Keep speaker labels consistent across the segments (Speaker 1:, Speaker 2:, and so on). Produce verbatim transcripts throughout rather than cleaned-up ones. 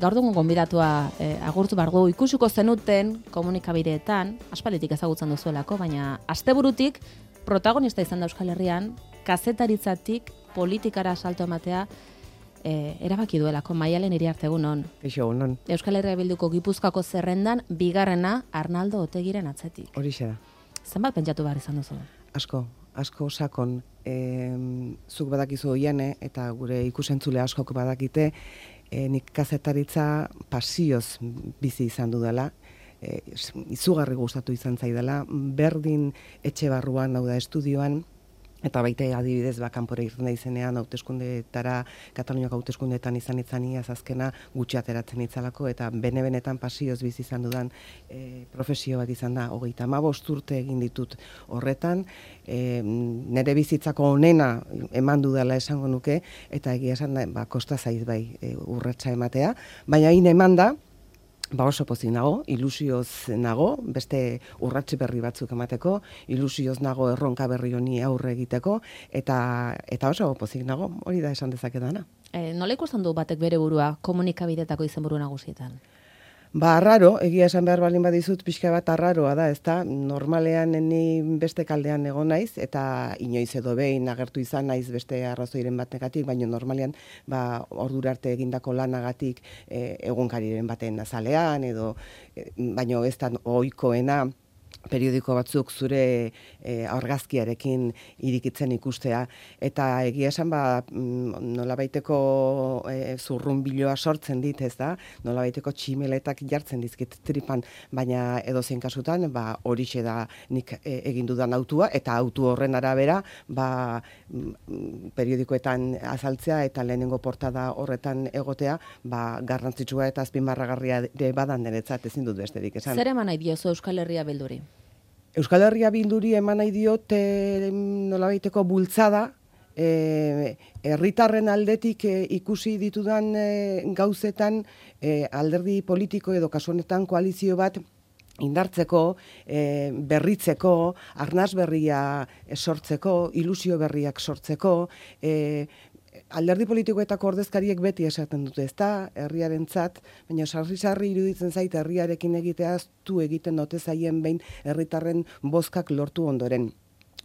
Speaker 1: Gaur dugun gonbidatua eh, agurtu bargo ikusiko zenuten komunikabideetan, aspalditik ezagutzen duzuelako, baina asteburutik protagonista izan da Euskal Herrian, kazetaritzatik politikara salto ematea eh, erabaki duelako. Maialen Iriarte, egunon.
Speaker 2: Eixo, egunon.
Speaker 1: Euskal Herria Bilduko Gipuzkoako zerrendan bigarrena Arnaldo Otegiren atzetik.
Speaker 2: Horixe da.
Speaker 1: Zenbat pentsatu behar izan duzu?
Speaker 2: Asko, asko sakon. E, zuk badakizu oiane eta gure ikusentzule askok badakite, e, nik kazetaritza pasioz bizi izan dudala. E, izugarri gustatu izan zaidala, berdin etxe barruan, hau da estudioan, eta baita adibidez ba kanpora irten izenean hauteskundeetara, Kataluniako hauteskundeetan izan itzaniaz azkena gutxi ateratzen itzalako, eta bene-benetan pasioz bizi izan dudan e, profesio bat izan da. Hogeita hamabost urte egin ditut horretan, e, nire bizitzako onena eman dudala esango nuke, eta egia esan da, ba, kosta zaiz bai e, urratsa ematea, baina hain eman da, ba oso pozik nago, ilusioz nago, beste urratsi berri batzuk emateko, ilusioz nago erronka berri honi aurre egiteko, eta eta oso pozik nago, hori da esan dezakedana.
Speaker 1: E, nola ikusten du batek bere burua komunikabidetako izenburu nagusietan?
Speaker 2: Ba, arraro, egia esan behar balin badizut, pixka bat arraroa da, ezta? Normalean ni beste kaldean egon naiz, eta inoiz edo behin agertu izan naiz beste arrazoiren batengatik, baina normalean ba, ordura arte egindako lanagatik e, egunkariren baten azalean, edo e, baina ez da ohikoena periodiko batzuk zure e, argazkiarekin irikitzen ikustea, eta egia esan ba, nolabaiteko e, zurrunbiloa sortzen dit, ez da, nolabaiteko tximeletak jartzen dizkit tripan, baina edozein kasutan ba, horixe da nik e, egin dudan autua, eta autu horren arabera ba, periodikoetan azaltzea eta lehenengo portada horretan egotea ba, garrantzitsua eta azpimarragarria badan niretzat, ezin dut besterik esan.
Speaker 1: Zer eman nahi diozu Euskal Herria Bilduri?
Speaker 2: Euskal Herria Bilduri eman nahi diote nolabaiteko bultzada, e, herritarren aldetik e, ikusi ditudan e, gauzetan e, alderdi politiko edo kasu honetan koalizio bat indartzeko, e, berritzeko, arnas berria sortzeko, ilusio berriak sortzeko, e, alderdi politikoetako ordezkariek beti esaten dute, ez da, herriarentzat, baina sarri-sarri iruditzen zait herriarekin egiteaz tu egiten ote zaien behin herritarren bozkak lortu ondoren.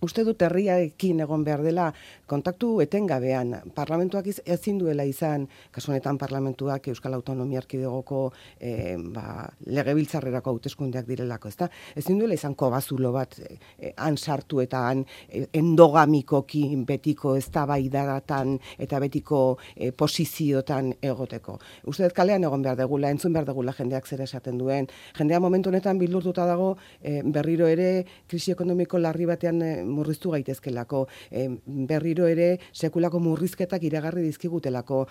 Speaker 2: Uste dut herriarekin egon behar dela kontaktu etengabean. Parlamentuak ezin duela izan, kasu honetan parlamentuak Euskal Autonomia Erkidegoko e, ba, legebiltzarrerako hauteskundeak direlako, ezta? Ezin duela izan kobazulo bat e, han sartu eta han e, endogamikoki betiko eztabaidatan eta betiko e, posiziotan egoteko. Uste dut kalean egon behar degula, entzun behar degula jendeak zer esaten duen. Jendea momentu honetan bildurtuta dago e, berriro ere krisi ekonomiko larri batean e, murriztu gaitezkelako, e, berriro ere sekulako murrizketak iragarri dizkigutelako,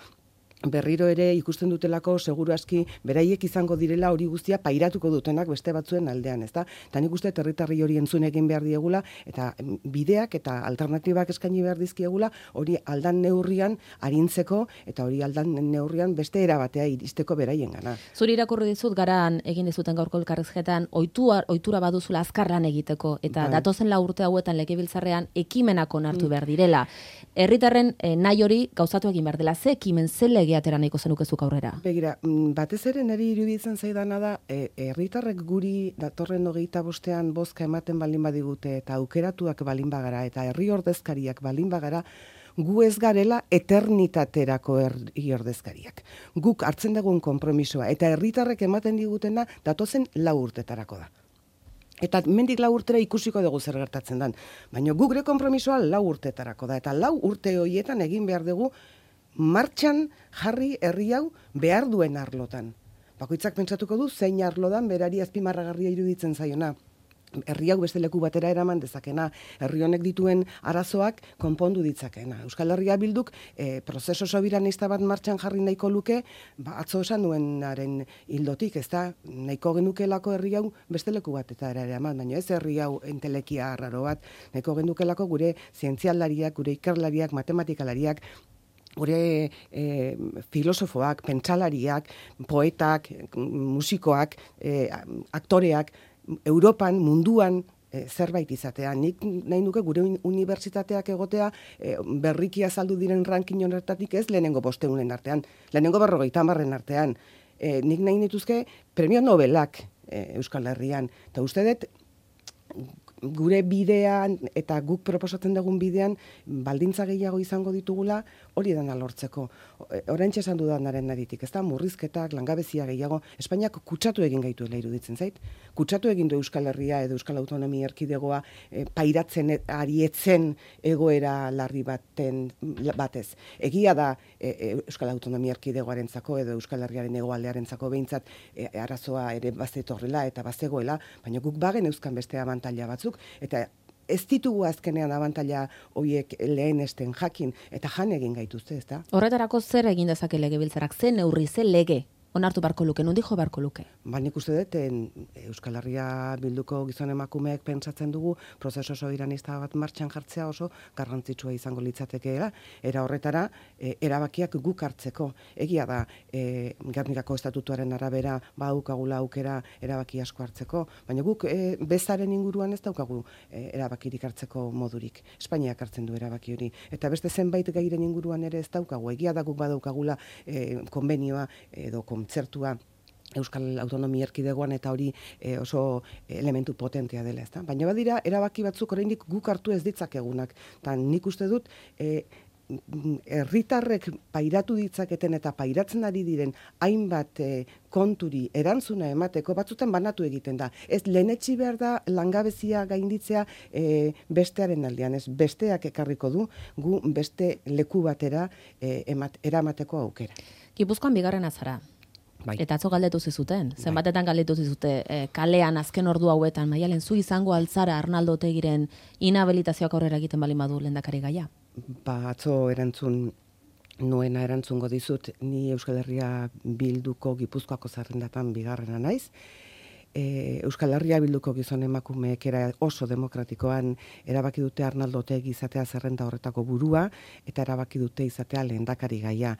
Speaker 2: berriro ere ikusten dutelako seguru aski beraiek izango direla hori guztia pairatuko dutenak beste batzuen aldean, ezta? Ta nik uste herritarri hori entzun egin behar diegula eta bideak eta alternatibak eskaini behar dizkiegula hori aldan neurrian arintzeko eta hori aldan neurrian beste era batea iristeko beraiengana.
Speaker 1: Zuri irakurri dizut garan egin dizuten gaurko elkarrizketan ohitura ohitura baduzula azkar lan egiteko eta bai. Datozen lau urte hauetan legebiltzarrean ekimenak onartu behar direla. Herritarren eh, nahi hori gauzatu egin behar dela. Ze ekimen ze lege atera nahiko zenukezuk aurrera?
Speaker 2: Begira, batez ere niri iruditzen zaidana da, herritarrek e, guri datorren hogeita bostean bozka ematen balin badigute eta aukeratuak balin bagara eta herri ordezkariak balin bagara, gu ez garela eternitaterako herri ordezkariak. Guk hartzen dugun konpromisoa eta herritarrek ematen digutena datozen lau urtetarako da. Eta mendik lau urtera ikusiko dugu zer gertatzen dan. Baina gure konpromisoa lau urtetarako da. Eta lau urte horietan egin behar dugu martxan jarri herri hau behar duen arlotan. Bakoitzak pentsatuko du zein arlodan berari azpimarragarria iruditzen zaiona. Herri hau beste leku batera eraman dezakena, herri honek dituen arazoak konpondu ditzakena. Euskal Herria Bilduk e, prozeso sobiranista bat martxan jarri nahiko luke, ba, atzo esan nuenaren hildotik, ez da, nahiko genukelako herri hau beste leku batetara eraman, baina ez herri hau entelekia arraro bat, nahiko genukelako gure zientzialariak, gure ikerlariak, matematikalariak, gure e, filosofoak, pentsalariak, poetak, musikoak, e, aktoreak, Europan, munduan e, zerbait izatea. Nik nahi nuke gure unibertsitateak egotea e, berriki azaldu diren ranking honetatik ez lehenengo bosteunen artean, lehenengo berrogeita hamarren artean. e, nik nahi nituzke premio Nobelak e, Euskal Herrian. Eta uste dut, gure bidean eta guk proposatzen dugun bidean baldintza gehiago izango ditugula hori dena lortzeko. Oraintxe esan dudanaren naritik, ez da, murrizketak, langabezia gehiago, Espainiak kutsatu egin gaituela iruditzen zait. Kutsatu egin du Euskal Herria edo Euskal Autonomia Erkidegoa e, pairatzen arietzen egoera larri baten batez. Egia da e, Euskal Autonomia Erkidegoarentzako edo Euskal Herriaren hegoaldearentzako behintzat e, arazoa ere bazetorrela eta bazegoela, baina guk bagen euskan beste abantaila batzuk, eta ez ditugu azkenean abantaila horiek lehenesten jakin, eta jan egin gaituzte, ez da?
Speaker 1: Horretarako zer egin dezake legebiltzarak, ze neurri, ze lege onartu barko luke, nundi jo barko luke?
Speaker 2: Ba, nik uste dut, Euskal Herria bilduko gizon emakumeek pentsatzen dugu, prozeso soberanista bat martxan jartzea oso garrantzitsua izango litzatekeela, era horretara, e, erabakiak guk hartzeko. Egia da, e, Gernikako estatutuaren arabera, ba, aukagula aukera erabaki asko hartzeko, baina guk e, bezaren inguruan ez daukagu e, erabakirik hartzeko modurik. Espainiak hartzen du erabaki hori. Eta beste zenbait gairen inguruan ere ez daukagu. Egia da guk badaukagula e, konbenioa edo kontzertua Euskal Autonomia Erkidegoan eta hori e, oso elementu potentea dela, ezta? Baina badira erabaki batzuk oraindik guk hartu ez ditzakegunak. Ta nik uste dut e, herritarrek pairatu ditzaketen eta pairatzen ari diren hainbat e, konturi erantzuna emateko batzutan banatu egiten da. Ez lehenetsi behar da langabezia gainditzea e, bestearen aldean, ez besteak ekarriko du gu beste leku batera e, emat, eramateko aukera.
Speaker 1: Gipuzkoan bigarren azara.
Speaker 2: Bai.
Speaker 1: Eta atzo galdetu zizuten, zenbatetan galdetu zizute, e, kalean azken ordu hauetan, Maialen, zu izango altzara Arnaldo Otegiren inhabilitazioak aurrera egiten bali madu lehendakari gaia?
Speaker 2: Ba, atzo erantzun nuena erantzungo dizut, ni Euskal Herria Bilduko Gipuzkoako zerrendatan bigarrena naiz. E, Euskal Herria Bilduko gizon emakumeek era oso demokratikoan erabaki dute Arnaldo Otegi izatea zerrenda horretako burua eta erabaki dute izatea lehendakari gaia.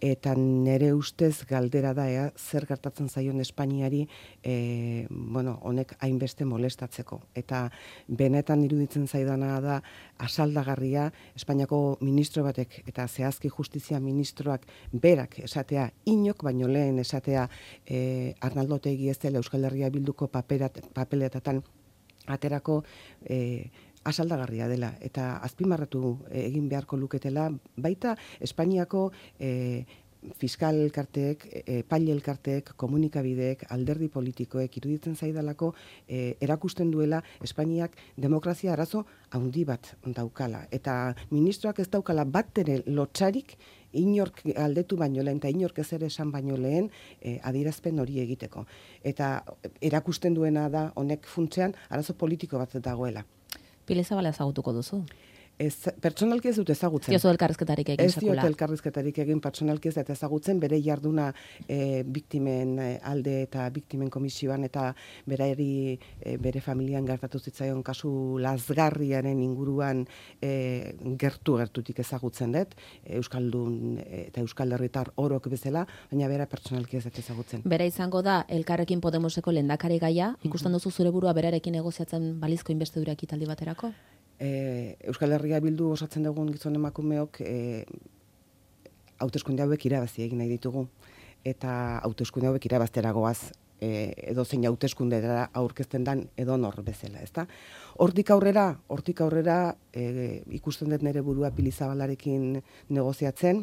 Speaker 2: Eta nere ustez galdera da ea, zer gertatzen zaion Espainiari e, bueno, honek hainbeste molestatzeko. Eta benetan iruditzen zaidana da asaldagarria Espainiako ministro batek eta zehazki justizia ministroak berak esatea, inok baino lehen esatea e, Arnaldo Otegi ez dela Euskal Herria Bilduko paperat, papeletatan aterako e, asaldagarria dela eta azpimarratu egin beharko luketela baita Espainiako e, fiskal elkarteek, epaile elkarteek, komunikabideek, alderdi politikoek iruditzen zaidalako e, erakusten duela Espainiak demokrazia arazo handi bat daukala eta ministroak ez daukala bat ere lotsarik inork aldetu baino lehen, eta inork ez ere esan baino lehen e, adierazpen hori egiteko. Eta erakusten duena da honek funtsean arazo politiko bat dagoela.
Speaker 1: Pile Zabala ezagutuko duzu?
Speaker 2: Ez, pertsonalki ez dut ezagutzen.
Speaker 1: Ez diozu elkarrizketarik egin
Speaker 2: Ez diot elkarrizketarik egin pertsonalki ez dut ezagutzen, bere jarduna e, biktimen alde eta biktimen komisioan eta berari e, bere familian gertatu zitzaion kasu lazgarriaren inguruan e, gertu-gertutik ezagutzen dut, Euskaldun eta Euskal Herritar orok bezala, baina bera pertsonalki ez dut ezagutzen.
Speaker 1: Bera izango da Elkarrekin Podemoseko lehendakari gaia, ikusten duzu zure burua berarekin negoziatzen balizko inbestidura ekitaldi baterako?
Speaker 2: E, Euskal Herria Bildu osatzen dugun gizon emakumeok e, hauteskunde hauek irabazi egin nahi ditugu eta hauteskunde hauek irabaztera goaz e, edo zein hauteskundera aurkezten dan edonor bezala, ezta? Hortik aurrera, hortik aurrera e, ikusten dut nere burua Pili Zabalarekin negoziatzen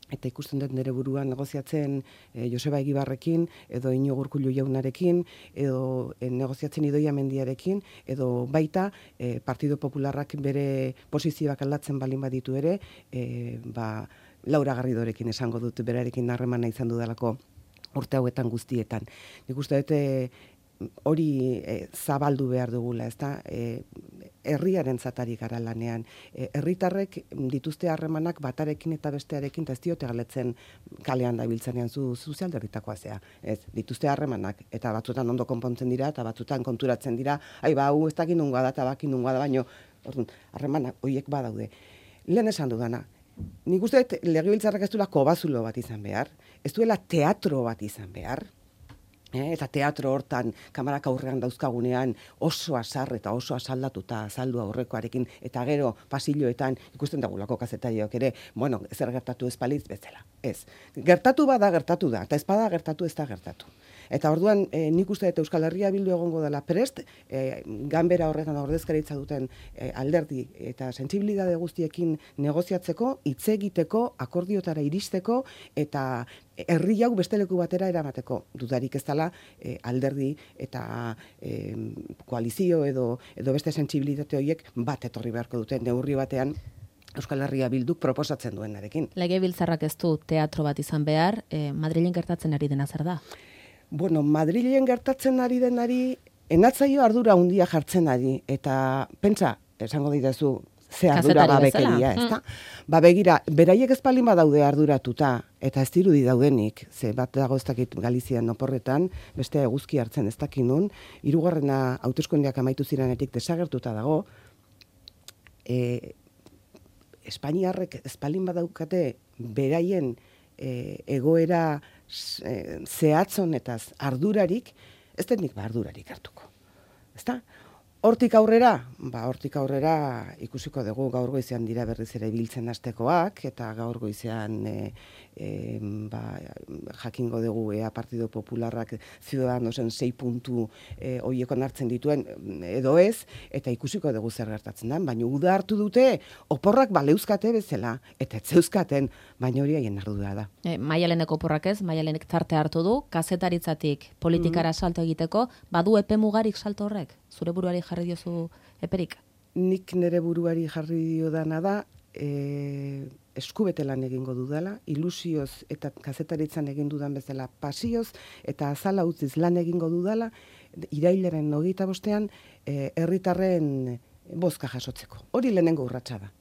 Speaker 2: eta ikusten dut nere burua negoziatzen e, Joseba Egibarrekin, edo Iñigo Urkullu jaunarekin, edo e, negoziatzen Idoia Mendiarekin, edo baita e, Partido Popularrak bere posizioak aldatzen balin baditu ere, e, ba, Laura Garridorekin esango dut berarekin harremana izan dudalako urte hauetan guztietan. Nik uste dut e, hori e, zabaldu behar dugula, ezta? E, herriaren zatari gara lanean. E, herritarrek dituzte harremanak batarekin eta bestearekin, eta ez diote galetzen kalean dabiltzenean zu sozialderritakoa zea. Ez, dituzte harremanak, eta batzutan ondo konpontzen dira, eta batzutan konturatzen dira, ai ba, hau ez dakin nungoa da, eta bakin nungoa da, baino, orduan, harremanak horiek badaude. Lehen esan dudana, nik uste legebiltzarrak ez duela kobazulo bat izan behar, ez duela teatro bat izan behar, eta teatro hortan, kamarak aurrean dauzkagunean, oso asar eta oso asaldatuta azaldu aurrekoarekin, eta gero pasilloetan ikusten dagulako kazetariok ere, bueno, zer gertatu ez palitz bezala. Ez. Gertatu bada gertatu da, eta ez bada gertatu ez da gertatu. Eta orduan, e, nik uste eta Euskal Herria Bildu egongo dela prest, e, ganbera horretan ordezkaritza duten e, alderdi eta sentsibilitate guztiekin negoziatzeko, hitz egiteko, akordiotara iristeko, eta herri hau beste leku batera eramateko. Dudarik ez dela e, alderdi eta e, koalizio edo, edo beste sentsibilitate horiek bat etorri beharko duten neurri batean, Euskal Herria Bilduk proposatzen duenarekin.
Speaker 1: Legebiltzarrak ez du teatro bat izan behar, e, Madrilen gertatzen ari dena zer da?
Speaker 2: Bueno, Madrilen gertatzen ari denari, enatzaio ardura handia jartzen ari, eta pentsa, esango didazu, ze ardura babekeria, ez da? Ba begira, beraiek ez palin badaude arduratuta, eta ez dirudi daudenik, ze bat dago ez dakit Galizian oporretan, beste eguzki hartzen ez dakinun, hirugarrena hauteskundeak amaitu zirenetik desagertuta dago, e, Espainiarrek ez palin badaukate beraien e, egoera e, zehatzonetaz ardurarik, ez denik ba ardurarik hartuko. Ezta? Hortik aurrera, ba hortik aurrera ikusiko dugu gaur goizean dira berriz ere biltzen hastekoak, eta gaur goizean e, e, ba, jakingo dugu ea Partido Popularrak Ciudadanosen sei puntu e, hoiekon hartzen dituen edo ez, eta ikusiko dugu zer gertatzen da, baina uda hartu dute oporrak baleuzkate bezala, eta etzeuzkaten, baina hori haien ardura da.
Speaker 1: E, Maialeneko oporrak ez, Maialenek tarte hartu du, kazetaritzatik politikara mm-hmm. salto egiteko, badu epe mugarik salto horrek? Zure buruari jarri diozu eperik?
Speaker 2: Nik nire buruari jarri diodana da, e, eskubete lan egingo dudala, ilusioz eta kazetaritzan egin dudan bezala pasioz, eta azala utziz lan egingo dudala, irailaren hogeita bostean, e, herritarren bozka jasotzeko. Hori lehenengo urratsa da.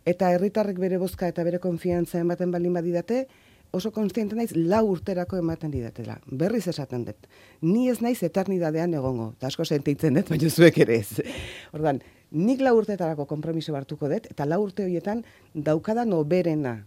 Speaker 2: Eta herritarrek bere bozka eta bere konfiantza ematen balin badidate, oso konstiente naiz lau urterako ematen didatela. Berriz esaten dut. Ni ez naiz eternidadean egongo. Ta asko sentitzen dut, baina zuek ere ez. Ordan, nik lau urtetarako konpromiso hartuko dut, eta lau urte horietan daukadan oberena,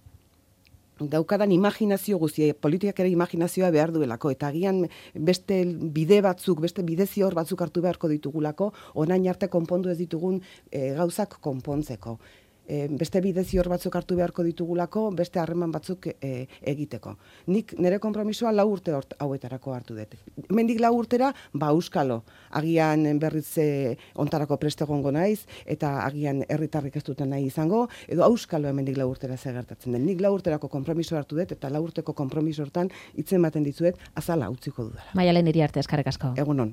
Speaker 2: daukadan imaginazio guztia, politikak ere imaginazioa behar duelako, eta agian beste bide batzuk, beste bide zior batzuk hartu beharko ditugulako, orain arte konpondu ez ditugun e, gauzak konpontzeko. E, beste bide zior batzuk hartu beharko ditugulako, beste harreman batzuk e, egiteko. Nik nire konpromisoa lau urte hort, hauetarako hartu dut. Hemendik lau urtera, ba euskalo, agian berriz e, ontarako preste egongo naiz, eta agian herritarrik ez duten nahi izango, edo euskalo hemendik lau urtera zer gertatzen den. Nik lau urterako konpromiso hartu dut, eta lau urteko konpromiso hortan hitzen ematen dizuet azala utziko dudala.
Speaker 1: Maialen Iriarte, eskerrik asko.
Speaker 2: Egunon.